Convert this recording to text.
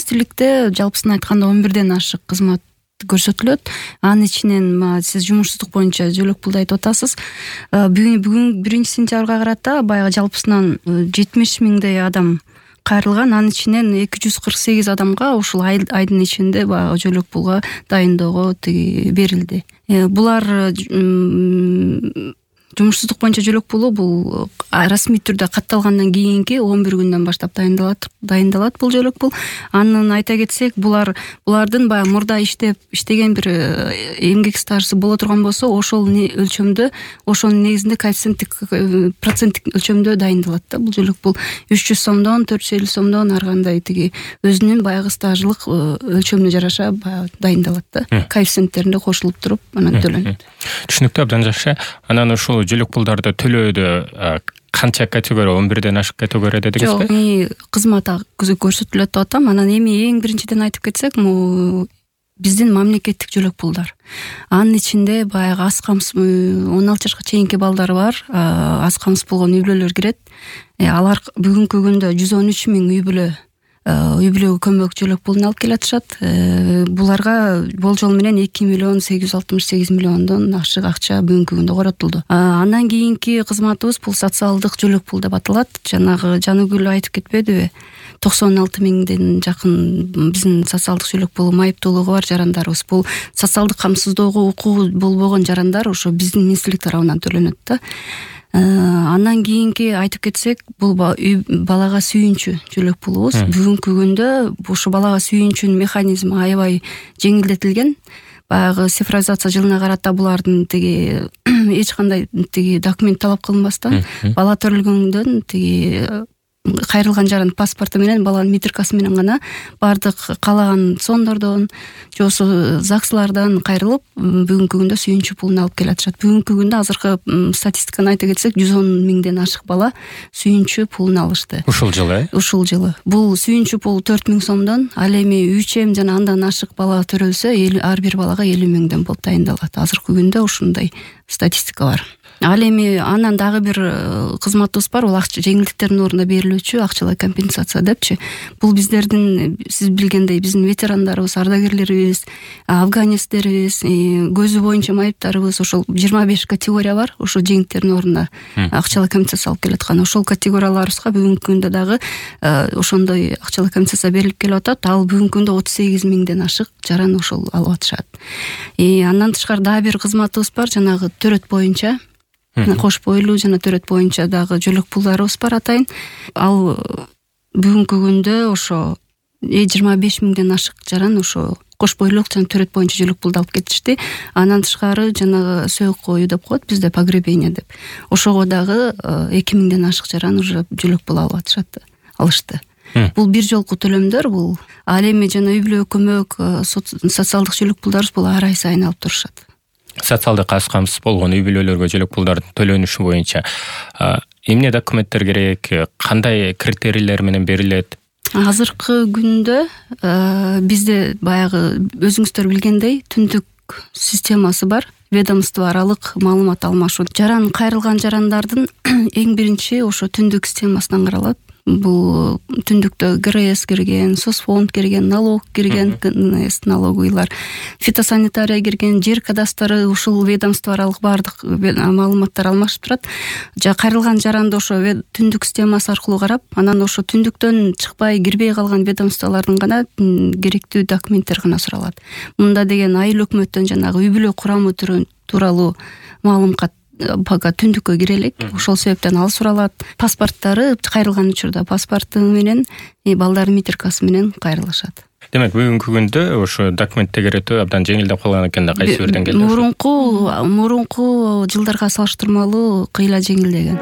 министрликте жалпысын айтканда 11ден ашык кызмат көрсөтүлөт. Анын ичинен сиз жумушсуздук боюнча жөлөк пулду айтып атасыз. Бүгүн 1-сентябрга карата баягы жалпысынан 70 миңдей адам кайрылган. Анын ичинен 248 адамга ушул айдын ичинде баягы жөлөк пулга дайындоого берилди. Булар жумушсуздук боюнча жөлөк пулу бул расмий түрдө катталгандан кийинки 11 күндөн баштап дайындалат бул жөлөк пул. Анын айта кетсек, булардын баягы мурда иштеген бир эмгек стажысы боло турган болсо, ошол өлчөмдө, ошонун негизинде коэффициенттик проценттик өлчөмдө дайындалат да бул жөлөк пул. 300 сомдон 450 сомдон ар кандай өзүнүн баягы стажылык өлчөмүнө жараша дайындалат да. Коэффициенттеринде кошулуп туруп анан төлөнөт. Түшүнүктүү, абдан жакшы. Анан ушул жөлөк пулдарды төлөөдө канча категория, 11ден ашык категория дедиңизби? Жок, кызмат көрсөтүлөт деп атам. Анан эми эң биринчиден айтып кетсек, биздин мамлекеттик жөлөк пулдар. Анын ичинде баягы аз камсыз 16 жашка чейинки балдары бар, аз камсыз болгон үй бүлөлөр кирет. Алар бүгүнкү күндө 113 миң үй бүлөгө көмөк жөлөк пулун алып келатышат. Буларга болжол менен 2 миллион 868 миллиондон ашык акча бүгүнкү күндө коротулду. Андан кийинки кызматыбыз бул социалдык жөлөк пул деп аталат. Жанагы Жаныгүл айтып кетпедиби? 96 миңден жакын биздин социалдык жөлөк пулу майыптуулугу бар жарандарыбыз. Бул социалдык камсыздоого укугу болбогон жарандар ошо биздин министрлик тарабынан төлөнөт да. Андан кийинки айтып кетсек, бул балага сүйүнчү жөлөк пулубуз. Бүгүнкү күндө ошо балага сүйүнчүнүн механизми аябай жеңилдетилген. Баягы цифровизация жылына карата булардын эч кандай документ талап кылынбастан, бала төрөлгөндөн кайрылган жарандын паспорту менен, баланын метрикасы менен гана бардык каалаган сондордон, жосу ЗАГСлардан кайрылып, бүгүнкү күндө сүйүнчү пулун алып келатышат. Бүгүнкү күндө азыркы статистиканы айта кетсек, 110 миңден ашык бала сүйүнчү пулун алышты. Ушул жылы? Ушул жылы. Бул сүйүнчү пул 4 миң сомдон, ал эми 3 жана андан ашык бала төрөлсө, ар бир балага 50 миңден болуп дайындалат. Азыркы күндө ушундай статистика бар. Ал эми анан дагы бир кызматыбыз бар, бул жеңилдиктердин ордуна берилүүчү акчалай компенсация депчи. Бул биздердин, сиз билгендей, биздин ветерандарыбыз, ардагерлерибиз, афганецтерибиз, көзү боюнча майыптарыбыз, ошол 25 категория бар. Ошол жеңилдиктердин ордуна акчалай компенсация алып келаткан. Ошол категорияларыбызга бүгүнкү күндө дагы ошондой акчалай компенсация берилип келип атат. Ал бүгүнкү күндө 38 миңден ашык жаран ошол алып атышат. Андан тышкары дагы бир кызматыбыз бар, жанагы төрөт боюнча, кош бойлуу жана төрөт боюнча дагы жөлөк пулдарыбыз бар атайын. Ал бүгүнкү күндө ошо 25 миңден ашык жаран ошо кош бойлуулук жана төрөт боюнча жөлөк пулду алып кетишти. Андан тышкары жанагы сөйөк коюу деп коет бизде, погребение деп. Ошого дагы 2 миңден ашык жаран уже жөлөк пул алышты. Бул бир жолку төлөмдөр бул. Ал эми жана үй бүлөгө көмөк, социалдык жөлөк пулдарыбыз бул ар ай сайын алып турушат. Социалдык аз камсыз болгон үй бүлөлөргө жөлөк пулдардын төлөнүшү боюнча эмне документтер керек, кандай критерийлер менен берилет? Азыркы күндө бизде баягы өзүңүздөр билгендей түндүк системасы бар. Ведомство аралык маалымат алмашуу. Кайрылган жарандардын эң биринчи ошо түндүк системасынан каралат. Бул түндүктө ГРС кирген, соцфонд кирген, налог кирген, налоговыйлар, фитосанитария кирген, жер кадастры, ушул ведомство аралык бардык маалыматтар алмашып турат. Кайрылган жаранды ошо түндүк системасы аркылуу карап, анан ошо түндүктөн чыкпай, кирбей калган ведомстволордун гана керектүү документтер гана суралат. Мында деген айыл өкмөттөн жанагы үй бүлө курамы тууралуу маалымат бага түндүккө кире элек. Ошол себептен ал суралат. Паспорттары кайрылган учурда паспорту менен, балдардын метрикасы менен кайрылышат. Демек, бүгүнкү күндө ошо документ тегеретүү абдан жеңилдеп калган экен да, кайсы бир деңгээлде? Мурунку жылдарга салыштырмалуу кыйла жеңилдеген.